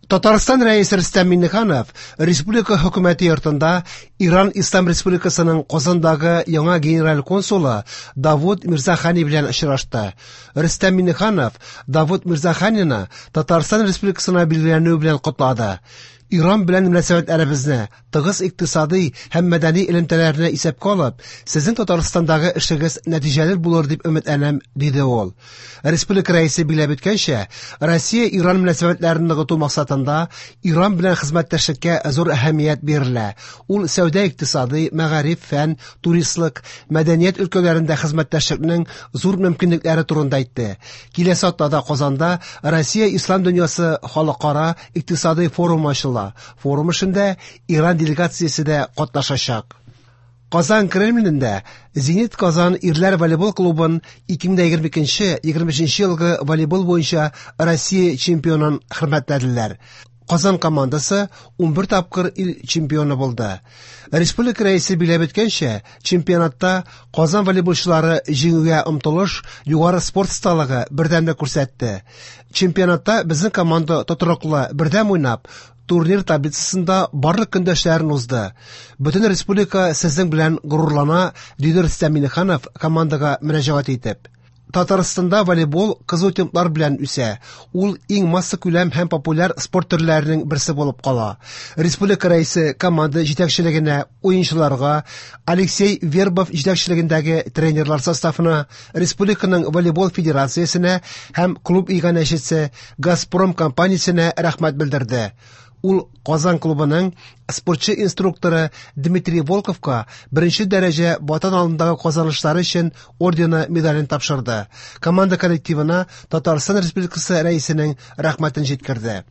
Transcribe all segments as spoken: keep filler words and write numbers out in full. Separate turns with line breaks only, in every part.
Татарстан Рәисе Рөстәм Миңнеханов республика хөкүмәте йортында Иран Ислам Республикасының Казандагы яңа генераль консулы Давуд Мирзахани белән очрашты. Рөстәм Миңнеханов Давуд Мирзаханины Татарстан Республикасына билгеләнүе белән котлады. Иран белән мөнәсәбәтләребезне, тыгыз икътисадый һәм мәдәни элемтәләрне исәпкә алып, сезнең Татарстандагы эшегез нәтиҗәле булыр дип өметләнәм, диде ул. Республика рәисе билгеләп үткәнчә, Россия-Иран мөнәсәбәтләрен ныгыту максатында Иран белән хезмәттәшлеккә зур әһәмият бирелә. Ул сәүдә-икътисадый, мәгариф, фән, туристлык, мәдәният өлкәләрендә хезмәттәшлекнең зур мөмкинлекләре турында әйтте. Киләсе атнада Казанда Россия Ислам дөньясы халыкара икътисадый форумы ачыла. Форум эшендә Иран делегациясе дә катнашачак. Казан Кремлендә Зенит Казан ирләр волейбол клубын ике мең егерме икенче егерме өченче елгы волейбол буенча Россия чемпионын хөрмәтләделәр. Казан командасы унбер тапкыр ил чемпионы булды. Республика рәисе билгеләп үткәнчә, чемпионатта Казан волейболчылары җиңүгә омтылыш, югары спорт осталыгы, бердәмлек күрсәтте. Чемпионатта безнең команда тотрыклы, бердәм уйнап, турнир таблицасында барлык көндәшләрен узды. Бөтен республика сезнең белән горурлана, диде Рөстәм Миңнеханов командага мөрәҗәгать итеп. Татарстанда волейбол кызу темплар белән үсә. Ул иң массакүләм һәм популяр спорт төрләренең берсе булып кала. Республика рәисе команда җитәкчелегенә, уенчыларга, Алексей Вербов җитәкчелегендәге тренерлар составына, республиканың волейбол федерациясенә һәм клуб иганәчесе Газпром компаниясенә рәхмәт белдерде. Ул Казан клубының спортчы инструкторы Дмитрий Волковка беренче дәрәҗә Ватан алдындагы казанышлары өчен ордены медален тапшырды. Команда коллективына Татарстан Республикасы рәисенең рәхмәтен җиткерде.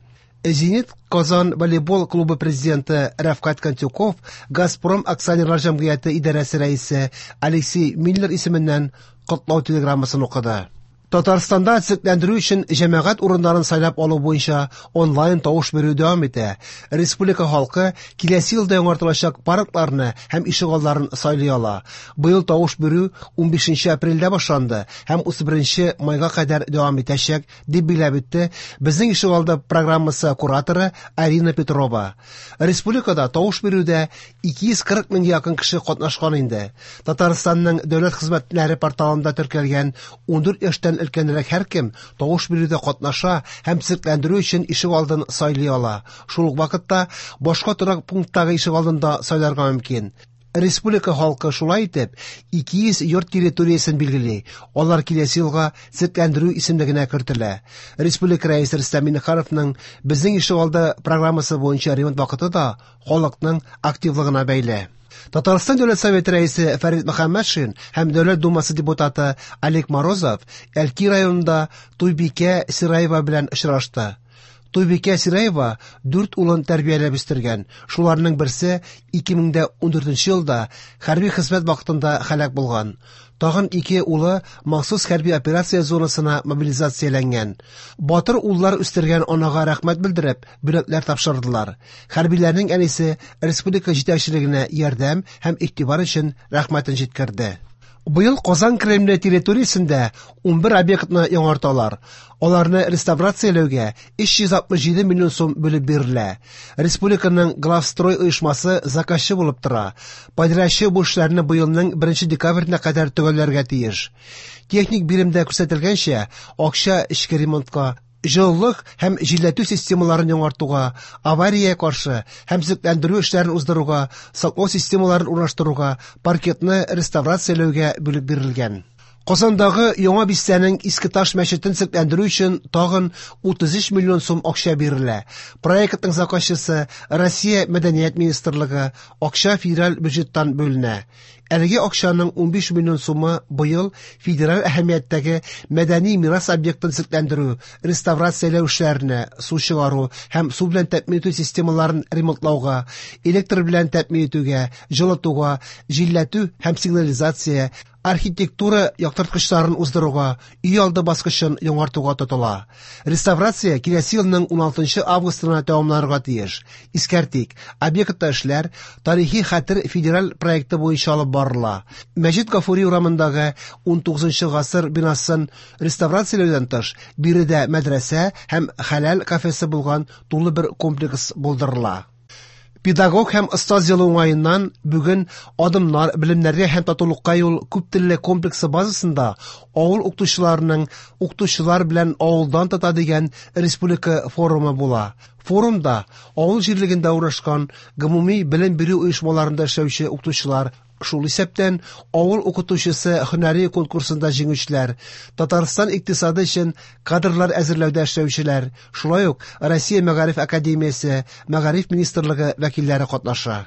Зенит Казан волейбол клубы президенты Рәфкать Кантюков Газпром акционерлар җәмгыяте идарәсе рәисе Алексей Миллер исеменнән котлау телеграммасын укыды. Татарстанда төзекләндерү өчен җәмәгать урыннарын сайлап алу буенча онлайн тавыш бирү дәвам итә. Республика халкы киләсе елда яңартылачак паркларны һәм ишегалларын сайлый ала. Быел тавыш бирү унбишенче апрельдә башланды һәм утыз беренче майга кадәр дәвам итәчәк, дип билгеләп үтте Безнең ишегалды программасы кураторы Арина Петрова. Республикада тавыш бирүдә ике йөз кырык меңгә якын кеше катнашкан инде. Татарстанның дәүләт хезмәтләре порталында теркәлгән ундүрт яшьтән өлкәнрәк һәркем тавыш бирүдә катнаша һәм төзекләндерү өчен ишегалдын сайлый ала. Шул ук вакытта башка торак пункттагы ишегалдын да сайларга мөмкин. Республика халкы шулай итеп ике йөз йорт территориясен билгели. Алар киләсе елга төзекләндерү исемлегенә кертелә. Республика рәисе Рөстәм Миңнехановның Безнең ишегалды программасы буенча ремонт вакыты да халыкның активлыгына бәйле. Татарстан Дәүләт Советы рәисе Фәрит Мөхәммәтшин һәм Дәүләт Думасы депутаты Олег Морозов Әлки районында Туйбикә Сираева белән очрашты. Туйбикә Сираева дүрт улын тәрбияләп үстергән. Шуларның берсе ике мең дә ундүртенче елда хәрби хезмәт вакытында һәлак булган. Тагын ике улы махсус хәрби операция зонасына мобилизацияләнгән. Батыр уллар үстергән анага рәхмәт белдереп, бүләкләр тапшырдылар. Хәрбиләрнең әнисе республика җитәкчелегенә ярдәм һәм игътибар өчен рәхмәтен җиткерде. Быел Казан Кремле территориясендә унбер объектны яңарталар. Аларны реставрацияләүгә өч йөз алтмыш җиде миллион сум бүлеп бирелә. Республиканың Главстрой оешмасы заказчы булып тора. Подрядчы бу эшләрне быелның беренче декабренә кадәр төгәлләргә тиеш. Техник биремдә күрсәтелгәнчә, акча эчке ремонтка, җылылык һәм җилләтү системаларын яңартуга, авария каршы һәм төзекләндерү эшләрен уздыруга, саклау системаларын урнаштыруга, паркетны реставрацияләүгә бүлеп бирелгән. Казандагы яңа бистәнең Иске Таш мәчетен төзекләндерү өчен тагын утыз өч миллион сум акча бирелә. Проектның заказчысы Россия Мәдәният министрлыгы, акча федераль бюджеттан бүленә. Әлеге акчаның унбиш миллион сумы быел федераль әһәмияттәге мәдәни мирас объектын төзекләндерү, реставрацияләү эшләренә, су чыгару һәм су белән тәэмин итү системаларын ремонтлауга, электр белән тәэмин итүгә, җылытуга, җилләтү һәм сигнализация, архитектура яктырткычларын уздыруга, өй алды баскычын яңартуга тотыла. Реставрация киләсе елның уналтынчы августына тәмамланырга тиеш. Искәртик, объектта эшләр Тарихи хәтер федераль проекты буенча алып барыла. Мәҗит Гафури урамындагы унтугызынчы гасыр бинасын реставрацияләүдән тыш, биредә мәдрәсә һәм хәләл кафесы булган тулы бер комплекс булдырыла. Педагог һәм остаз елы уңаеннан бүген Адымнар, белемнәргә һәм татулыкка юл күптелле комплексы базасында авыл укытучыларының укытучылар белән авылдан тота дигән республика форумы була. Форумда авыл җирлегендә урнашкан гомуми белем бирү оешмаларында эшләүче укытучылар, шул исәптән авыл укытучысы һөнәри конкурсында җиңүчеләр, Татарстан икътисады өчен кадрлар әзерләүдә эшләүчеләр, шулай ук Россия Мәгариф академиясе, Мәгариф министрлыгы вәкилләре катнаша.